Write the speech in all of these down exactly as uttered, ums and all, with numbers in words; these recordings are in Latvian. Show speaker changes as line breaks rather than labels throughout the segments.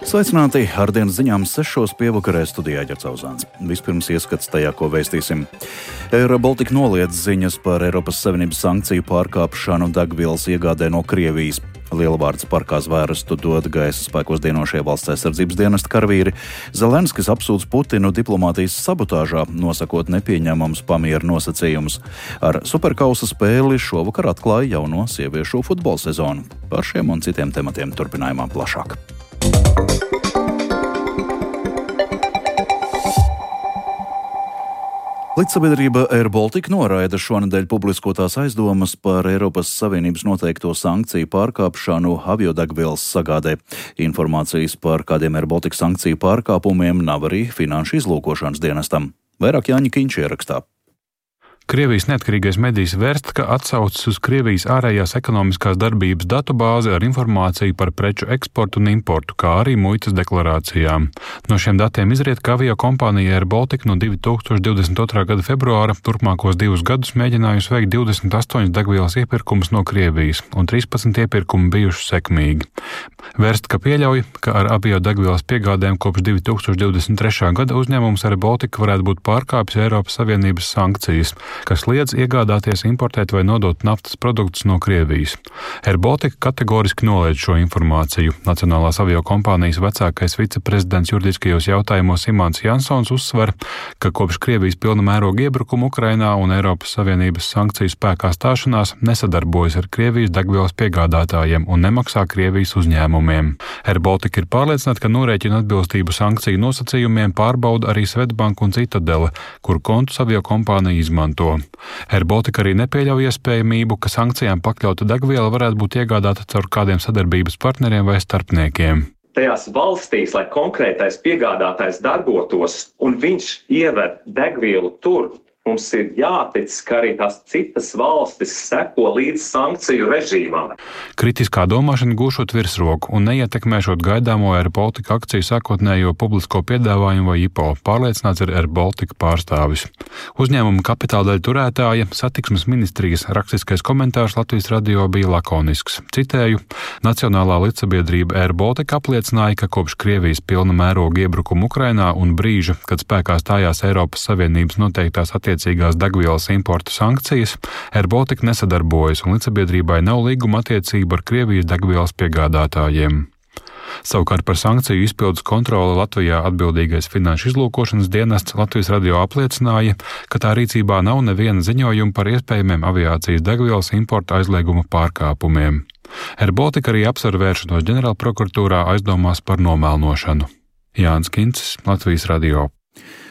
Sveicināti! Ar dienas ziņām sešos pievakarē studijā Ģerts Auzāns. Vispirms ieskats tajā, ko vēstīsim. Air Baltica noliedz ziņas par Eiropas Savienības sankciju pārkāpšanu degvielas iegādē no Krievijas. Lielvārds parkā zvērstu dod gaisa spēkos dienošie valsts aizsardzības dienesta karavīri. Zelenskis apsūdz Putinu diplomātijas sabotāžā, nosakot nepieņemams pamieru nosacījumus. Ar superkausa spēli šovakar atklāja jauno sieviešu futbola sezonu. Par šiem un citiem tematiem turpinājumā plašāk. Līdzsabiedrība Air Baltica noraida šonedēļ publiskotās aizdomas par Eiropas Savienības noteikto sankciju pārkāpšanu aviodegvielas sagādē. Informācijas par kādiem Air Baltica sankciju pārkāpumiem nav arī finanšu izlūkošanas dienestam. Vairāk Jāņa Kiņš ierakstā.
Krievijas neatkarīgais medijs Verstka atsaucas uz Krievijas ārējās ekonomiskās darbības datubāzi ar informāciju par preču eksportu un importu, kā arī muitas deklarācijām. No šiem datiem izriet, ka aviokompānija Air Baltica no divi tūkstoši divdesmit otrā gada februāra turpmākos divus gadus mēģinājusi veikt divdesmit astoņus degvielas iepirkumus no Krievijas, un trīspadsmit iepirkumi bijuši sekmīgi. Verstka pieļauj, ka ar aviodegvielas piegādēm kopš divi tūkstoši divdesmit trešā gada uzņēmums Air Baltica varētu būt pārkāpis Eiropas Savienības sankcijas, kas liedz iegādāties, importēt vai nodot naftas produktus no Krievijas. Air Baltica kategoriski noliedz šo informāciju. Nacionālās aviokompānijas vecākais viceprezidents juridiskajos jautājumos Imants Jansons uzsver, ka kopš Krievijas pilna mēroga iebrukuma Ukrainā un Eiropas Savienības sankciju spēkā stāšanās nesadarbojas ar Krievijas degvielas piegādātājiem un nemaksā Krievijas uzņēmumiem. Air Baltica ir pārliecināta, ka norēķina atbilstību sankciju nosacījumiem pārbauda arī Swedbank un Citadele, kuru kontus aviokompānija izmanto. Air Baltica arī nepieļauj iespējamību, ka sankcijām pakļauta degviela varētu būt iegādāta caur kādiem sadarbības partneriem vai starpniekiem.
Tajās valstīs, lai konkrētais piegādātājs darbotos un viņš ieved degvielu tur, mums ir jātic, ka arī tās citas valstis seko līdz sankciju režīmām.
Kritiskā domāšana gūšot virsroku un neietekmēšot gaidāmo Air Baltica akciju sākotnējo publisko piedāvājumu vai I P O, pārliecināts ir Air Baltica pārstāvis. Uzņēmuma kapitāla daļu turētāja satiksmes ministrijas rakstiskais komentārs Latvijas radio bija lakonisks. Citēju, Nacionālā līdzsabiedrība Air Baltica apliecināja, ka kopš Krievijas pilna mēroga iebrukuma Ukrainā un brīža, kad spēkā stājās Eiropas Savienības noteiktās attiecības attiecīgās degvielas importa sankcijas, Air Baltica nesadarbojas un līdzsabiedrībai nav līguma attiecība ar Krievijas degvielas piegādātājiem. Savukārt par sankciju izpildus kontroli Latvijā atbildīgais finanšu izlūkošanas dienests Latvijas radio apliecināja, ka tā rīcībā nav neviena ziņojuma par iespējamiem aviācijas degvielas importa aizlieguma pārkāpumiem. Air Baltica arī apsver vēršanos ģenerālprokuratūrā aizdomās par nomēlnošanu. Jānis Kincis, Latvijas radio.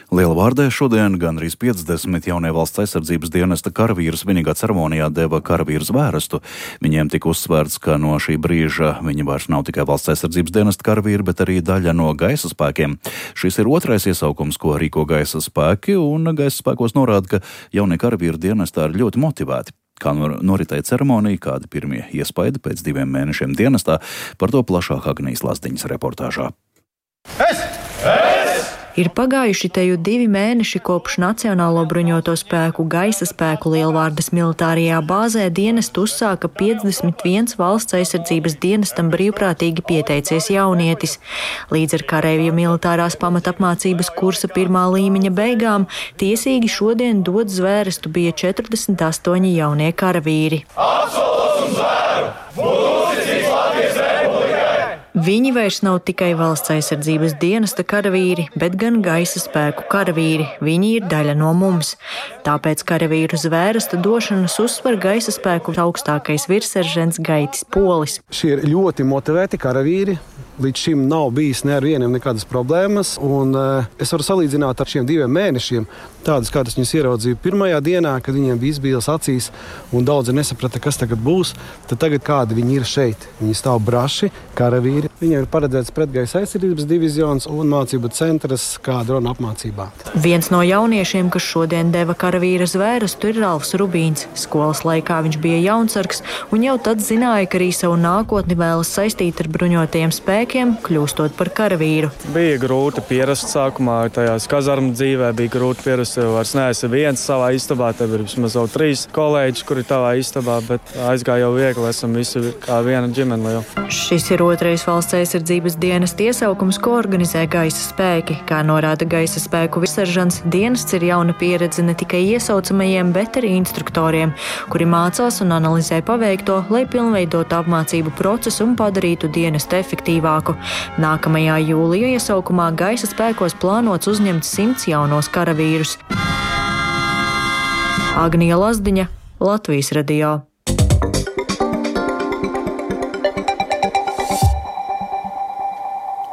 Lielvārdē šodien gandrīz piecdesmit jaunie valsts aizsardzības dienesta karavīri svinīgā ceremonijā deva karavīru zvērestu. Viņiem tika uzsvērts, ka no šī brīža viņi vairs nav tikai valsts aizsardzības dienesta karavīri, bet arī daļa no gaisa spēkiem. Šis ir otrais iesaukums, ko rīko gaisa spēki, un gaisa spēkos norāda, ka jaunie karavīri dienestā ir ļoti motivēti. Kā noritēja ceremonija, kādi pirmie iespaidi pēc diviem mēnešiem dienestā, par to plašāk Agnijas Lazdiņas reportāžā.
Es! Es! Ir pagājuši teju divi mēneši kopš Nacionālo bruņoto spēku gaisa spēku Lielvārdes militārajā bāzē dienestu uzsāka piecdesmit viens valsts aizsardzības dienestam brīvprātīgi pieteicies jaunietis. Līdz ar kareivju militārās pamatapmācības kursa pirmā līmeņa beigām tiesīgi šodien dot zvērestu bija četrdesmit astoņi jaunie karavīri. Apsolos un zvēru! Būtu uzticīgs Latvijas Republikai! Viņi vairs nav tikai valsts aizsardzības dienesta karavīri, bet gan gaisa spēku karavīri. Viņi ir daļa no mums. Tāpēc karavīru zvērestu došanas uzsver gaisa spēku augstākais virsseržants Gaitis Polis.
Šie ir ļoti motivēti karavīri. Līdz šim nav bijis ne ar vieniem nekādas problēmas, un uh, es varu salīdzināt ar šiem diviem mēnešiem, tādas, kādas viņas ieraudzīju pirmajā dienā, kad viņiem bija izbīles acīs, un daudzi nesaprata, kas tagad būs, tad tagad kādi viņi ir šeit. Viņi stāv braši, karavīri. Viņiem ir paredzēts pretgaisa aizsardzības divizions un mācību centrs kā drona apmācībā.
Viens no jauniešiem, kas šodien deva karavīra zvērestu, ir Ralfs Rubīns. Skolas laikā viņš bija jaunsargs, un jau tad zināja, ka arī savu nākotni vēlas saistīt ar bruņotajiem spēkiem spēkiem, kļūstot par karavīru.
Bija grūti pierast sākumā, tajās kazarmu dzīvē bija grūti pierast, jo vairs neesi viens savā istabā, tev ir vismaz jau trīs kolēģi, kuri tavā istabā, bet aizgāja jau viegli, esam visi kā viena ģimene jau.
Šis ir otrais valsts aizsardzības dienesta iesaukums, ko organizē gaisa spēki. Kā norāda gaisa spēku virsseržants, dienests ir jauna pieredze ne tikai iesaucamajiem, bet arī instruktoriem, kuri mācās un analizē paveikto, lai pilnveidotu apmācību procesu un padarītu dienestu efektīvāku. Nākamajā jūlija iesaukumā gaisa spēkos plānots uzņemt simts jaunos karavīrus. Agnija Lazdiņa, Latvijas radio.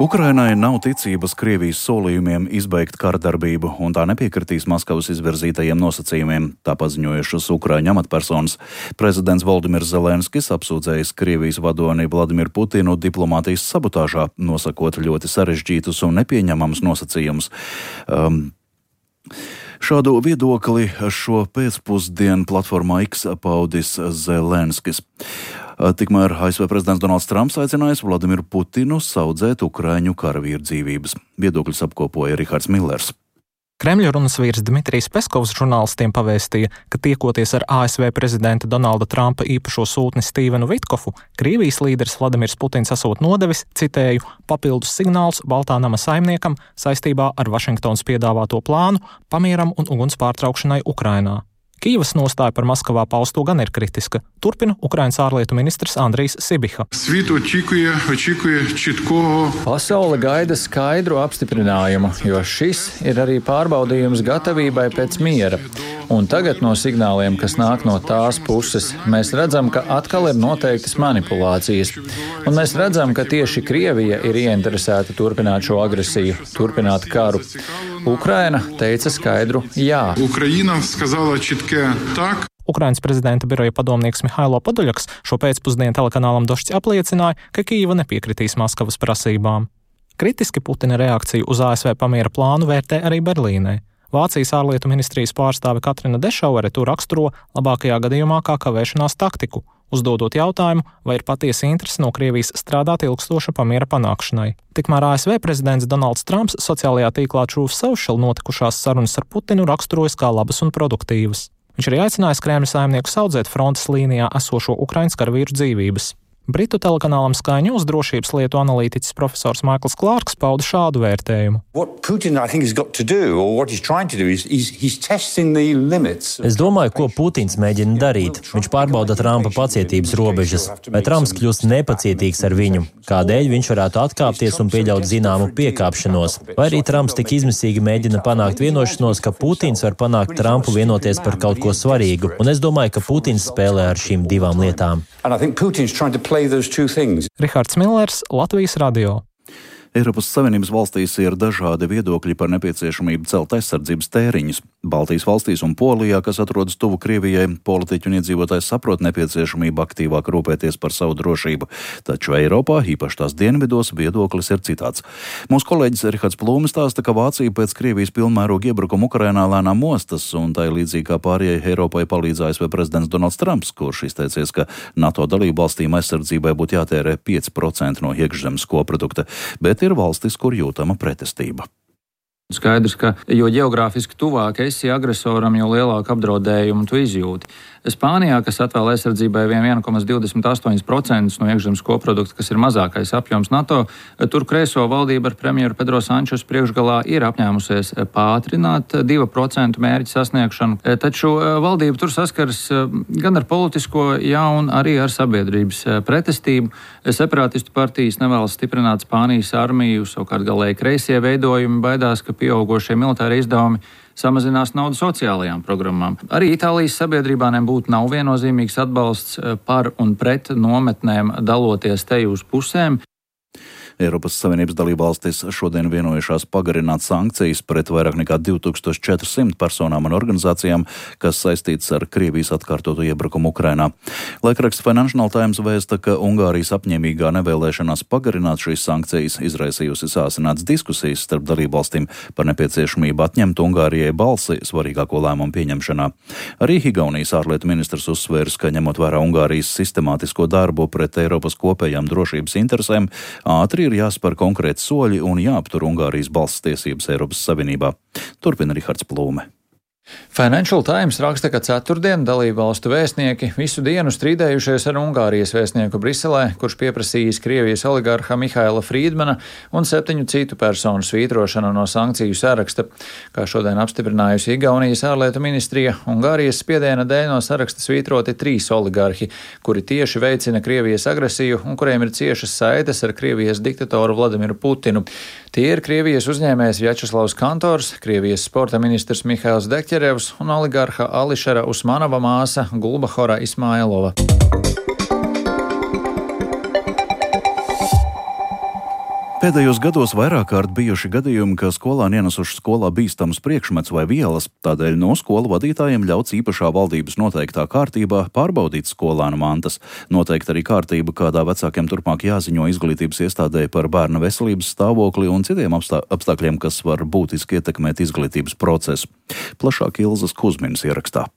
Ukrainai nav ticības Krievijas solījumiem izbeigt kardarbību, un tā nepiekritīs Maskavas izvirzītajiem nosacījumiem, tā paziņojušas Ukraiņu amatpersonas. Prezidents Voldimirs Zelenskis apsūdzējis Krievijas vadoni Vladimiru Putinu diplomātijas sabotāžā, nosakot ļoti sarežģītus un nepieņemamus nosacījumus. Um, Šādu viedokli šo pēcpusdienu platformā X paudis Zelenskis. Tikmēr A S V prezidents Donalds Trumps aicinājis Vladimiru Putinu saudzēt Ukraiņu karavīru dzīvības. Viedokļus apkopoja Rihards Millers.
Kremļa runas vīrs Dmitrijs Peskovs žurnālistiem pavēstīja, ka tiekoties ar A S V prezidenta Donalda Trumpa īpašo sūtni Stīvenu Vitkofu, Krievijas līderis Vladimirs Putins esot nodevis, citēju, papildus signāls Baltā nama saimniekam saistībā ar Vašingtonas piedāvāto plānu pamieram un uguns pārtraukšanai Ukrainā. Kīivas nostāja par Maskavā pausto gan ir kritiska. Turpina Ukrainas ārlietu ministrs Andrijs Sibiha.
Pasaule gaida skaidru apstiprinājumu, jo šis ir arī pārbaudījums gatavībai pēc miera. Un tagad no signāliem, kas nāk no tās puses, mēs redzam, ka atkal ir noteiktas manipulācijas. Un mēs redzam, ka tieši Krievija ir ieinteresēta turpināt šo agresiju, turpināt karu. Ukraina teica skaidru jā.
Ukraina skazala čitke tak. Ukrainas prezidenta biroja padomnieks Mihailo Podoļaks šo pēcpusdienu telekanālam Došķi apliecināja, ka Kīva nepiekritīs Maskavas prasībām. Kritiski Putina reakciju uz A S V pamiera plānu vērtē arī Berlīnē. Vācijas ārlietu ministrijas pārstāve Katrina Dešauere to raksturo labākajā gadījumā kā kavēšanās taktiku, uzdodot jautājumu, vai ir patiesa interese no Krievijas strādāt ilgstoša pamiera panākšanai. Tikmēr A S V prezidents Donalds Trumps sociālajā tīklā Truth Social notikušās sarunas ar Putinu raksturojas kā labas un produktīvas. Viņš arī aicinājis Kremļa saimnieku saudzēt frontes līnijā esošo Ukrainas karavīru dzīvības. Britu telekanālam Sky News drošības lietu analītiķis profesors Maikls Klārks pauda šādu vērtējumu.
Es domāju, ko Putins mēģina darīt. Viņš pārbauda Trumpa pacietības robežas. Vai Trumps kļūst nepacietīgs ar viņu? Kādēļ viņš varētu atkāpties un pieļaut zināmu piekāpšanos? Vai arī Trumps tik izmisīgi mēģina panākt vienošanos, ka Putins var panākt Trumpu vienoties par kaut ko svarīgu? Un es domāju, ka Putins spēlē ar šīm divām lietām.
Rihards Millers, Latvijas radio.
Eiropas Savienības valstīs ir dažādi viedokļi par nepieciešamību celt aizsardzības tēriņus. Baltijas valstīs un Polijā, kas atrodas tuvu Krievijai, politiķi un iedzīvotājs saprot nepieciešamību aktīvāk rūpēties par savu drošību. Taču Eiropā, īpaši tās dienvidos, viedoklis ir citāds. Mūsu kolēģis Rihards Plūmis stāsta, ka Vācija pēc Krievijas pilnmēroga iebrukuma Ukrainā lēnām mostas, un tai līdzīgi kā pārējai Eiropai palīdz A S V prezidents Donalds Trumps, kurš izteicies, ka NATO dalību valstīm aizsardzībai būtu jātērē pieci procenti no iekšzemes koprodukta, bet ir valstis, kur jūtama pretestība.
Skaidrs, ka jo ģeogrāfiski tuvāk esi agresoram, jo lielāku apdraudējumu tu izjūti. Spānijā, kas atvēl aizsardzībai viena komā divdesmit astoņi procenti no iekšzemes koprodukta, kas ir mazākais apjoms NATO, tur kreiso valdība ar premjeru Pedro Sančesu priekšgalā ir apņēmusies pātrināt divu procentu mērķu sasniegšanu. Taču valdība tur saskaras gan ar politisko, gan arī ar sabiedrības pretestību. Separātistu partijas nevēlas stiprināt Spānijas armiju, savukārt galēji kreisie veidojumi baidās, ka pieaugošie militāri izdevumi samazinās naudu sociālajām programmām. Arī Itālijas sabiedrībā nebūtu nav viennozīmīgs atbalsts par un pret nometnēm, daloties te uz pusēm.
Eiropas Savienības dalībvalstis šodien vienojušās pagarināt sankcijas pret vairāk nekā divi tūkstoši četri simti personām un organizācijām, kas saistītas ar Krievijas atkārtotu iebrukumu Ukrainā. Laikraksts Financial Times vēsta, ka Ungārijas apņēmīgā nevēlēšanās pagarināt šīs sankcijas izraisījusi sāsināts diskusijas starp dalībvalstīm par nepieciešamību atņemt Ungārijai balsi svarīgāko lēmumu pieņemšanā. Arī Igaunijas ārlietu ministrs uzsvērs, ka ņemot vērā Ungārijas sistemātisko darbu pret Eiropas kopējām drošības interesēm, ātri arī ir jāspēr konkrēti soļi un jāaptur Ungārijas balss tiesības Eiropas Savienībā. Turpina Rihards Plūme.
Financial Times raksta, ka ceturtdien dalībvalstu vēstnieki visu dienu strīdējušies ar Ungārijas vēstnieku Briselē, kurš pieprasījis Krievijas oligarha Mihaila Friedmana un septiņu citu personu svītrošanu no sankciju saraksta. Kā šodien apstiprinājusi Igaunijas ārlietu ministrija, Ungārijas spiediena dēļ no saraksta svītroti trīs oligarhi, kuri tieši veicina Krievijas agresiju un kuriem ir ciešas saites ar Krievijas diktatoru Vladimiru Putinu. Tie ir Krievijas uzņēmējs Vjačeslavs Kantors, Krievijas sporta ministrs Mihails Dekķerevs un oligarha Ališera Usmanova māsa Gulbahora Ismailova.
Pēdējos gados vairāk kārt bijuši gadījumi, ka skolāni ienesuši skolā bīstamus priekšmets vai vielas, tādēļ no skolu vadītājiem ļauts īpašā valdības noteiktā kārtībā pārbaudīt skolānu mantas. Noteikti arī kārtība, kādā vecākiem turpmāk jāziņo izglītības iestādē par bērna veselības stāvokli un citiem apstā- apstākļiem, kas var būtiski ietekmēt izglītības procesu. Plašāk Ilzas Kuzminas ierakstā.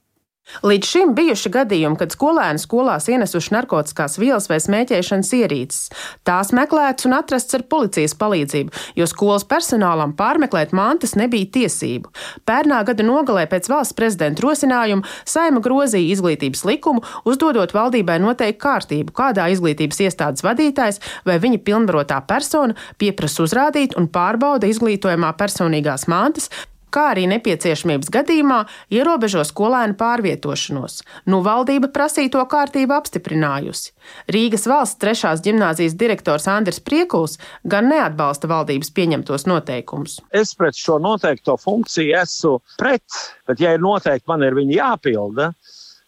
Līdz šim bijuši gadījumi, kad skolēni skolās ienesuši narkotiskās vielas vai smēķēšanas ierīces. Tās meklētas un atrasts ar policijas palīdzību, jo skolas personālam pārmeklēt mantas nebija tiesību. Pērnā gada nogalē pēc valsts prezidenta rosinājuma Saeima grozīja izglītības likumu, uzdodot valdībai noteikt kārtību, kādā izglītības iestādes vadītājs vai viņa pilnvarotā persona pieprasa uzrādīt un pārbauda izglītojumā personīgās mantas, kā arī nepieciešamības gadījumā ierobežo skolēnu pārvietošanos. Nu valdība prasīto kārtību apstiprinājusi. Rīgas valsts trešās ģimnāzijas direktors Andris Priekuls gan neatbalsta valdības pieņemtos noteikumus.
Es pret šo noteikto funkciju esmu pret, bet ja ir noteikti, man ir viņi jāpilda.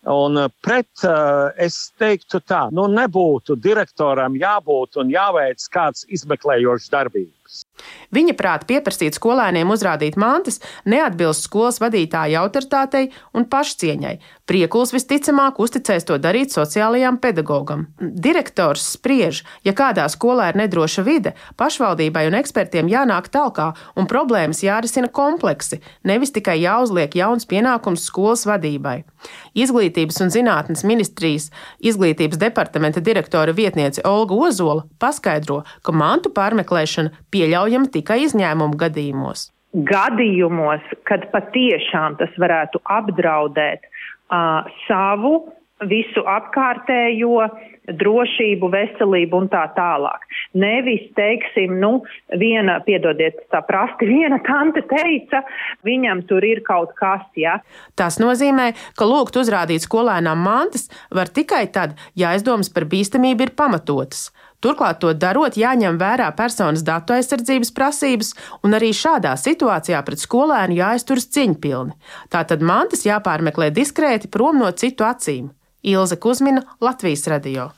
Un pret es teiktu tā, nu nebūtu direktoram jābūt un jāveic kāds izmeklējošs darbības.
Viņa prāt pieprasīt skolēniem uzrādīt mantas neatbilst skolas vadītāja autoritātei un pašcieņai. Priekuls visticamāk uzticēs to darīt sociālajām pedagogam. Direktors spriež, ja kādā skolā ir nedroša vide, pašvaldībai un ekspertiem jānāk talkā un problēmas jārisina kompleksi, nevis tikai jāuzliek jauns pienākums skolas vadībai. Izglītības un zinātnes ministrijas izglītības departamenta direktora vietniece Olga Ozola paskaidro, ka mantu pārmeklēšana pieļaujama tikai izņēmumu gadījumos.
Gadījumos, kad patiešām tas varētu apdraudēt uh, savu, visu apkārtējo drošību, veselību un tā tālāk. Nevis, teiksim, nu, viena, piedodiet tā prasti, viena tante teica, viņam tur ir kaut kas, ja.
Tas nozīmē, ka lūgt uzrādīt skolēnām mantas var tikai tad, ja aizdomas par bīstamību ir pamatotas. Turklāt to darot jāņem vērā personas datu aizsardzības prasības, un arī šādā situācijā pret skolēnu jāizturas cieņpilni. Tātad mantas jāpārmeklē diskrēti prom no citu acīm. Ilze Kuzmina, Latvijas radio.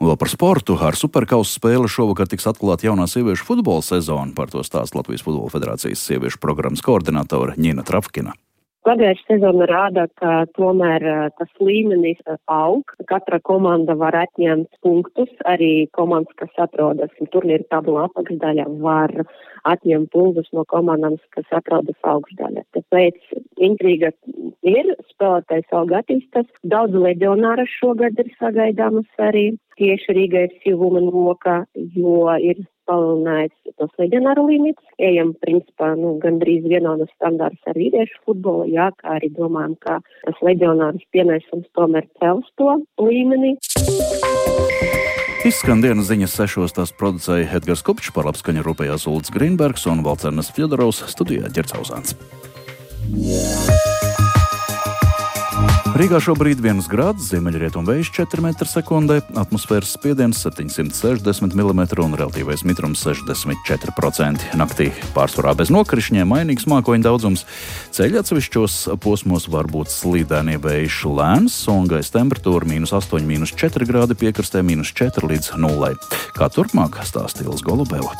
Un vēl par sportu. Ar Superkausa spēli šovakar tiks atklāta jaunā sieviešu futbola sezona. Par to stāsta Latvijas Futbola federācijas sieviešu programmas koordinātore Ņina Trafkina.
Pagājušā sezona rāda, ka tomēr tas līmenis aug. Katra komanda var atņemt punktus. Arī komandas, kas atrodas turnīra tabulā apakšdaļā, var atņemt punktus no komandām, kas atrodas augšdaļā. Tāpēc intriga ir, spēlētājs aug attīstas. Daudz leģionāra šogad ir sagaidāmas arī. Tieši Rīga ir Silvuma Noka, jo ir palielināts tos leģionāru limits. Ejam, principā, nu, gandrīz vienādas standārts ar vīriešu futbolu, jā, kā arī domājam, ka tas leģionārs pienesums tomēr cels to līmeni.
Izskan dienas ziņas sešos, tās producēja Edgars Kupčs, par labskaņu rūpējās Ulds Grīnbergs un Valcernas Fjodorovs, studijā Ģerts Auzāns. Rīgā šobrīd viens grāds, ziemeļrietumu vējš četri metri sekundē, atmosfēras spiediens septiņsimt sešdesmit milimetri un relatīvais mitrums sešdesmit četri procenti. Naktī pārsvarā bez nokrišņiem, mainīgs mākoņu daudzums. Ceļa atsevišķos posmos var būt slīdēnie vējš lēns un gaisa temperatūra mīnus astoņi, mīnus četri grādi, piekrastē mīnus četri līdz nulai. Kā turpmāk, stāsta Ilze Golubeva.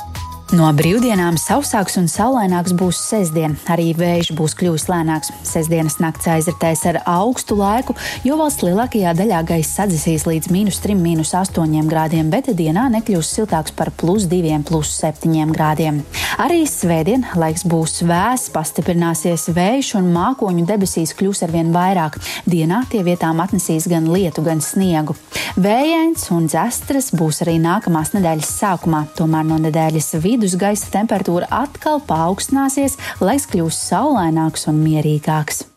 No brīvdienām sausāks un saulaināks būs sestdien. Arī vējš būs kļuvis lēnāks. Sestdienas nakts aizritēs ar augstu laiku, jo valsts lielākajā daļā gaiss sadzisīs līdz mīnus trim, mīnus astoņiem grādiem, bet dienā nekļūs siltāks par plus diviem, plus septiņiem grādiem. Arī svētdien laiks būs vēss, pastiprināsies vējš un mākoņu debesīs kļūs arvien vairāk. Dienā tie vietām atnesīs gan lietu, gan sniegu. Vējains un dzestras būs arī nākamās nedēļas sākumā, tomēr no nedēļas vidus gaisa temperatūra atkal paaugstināsies, laiks kļūs saulaināks un mierīgāks.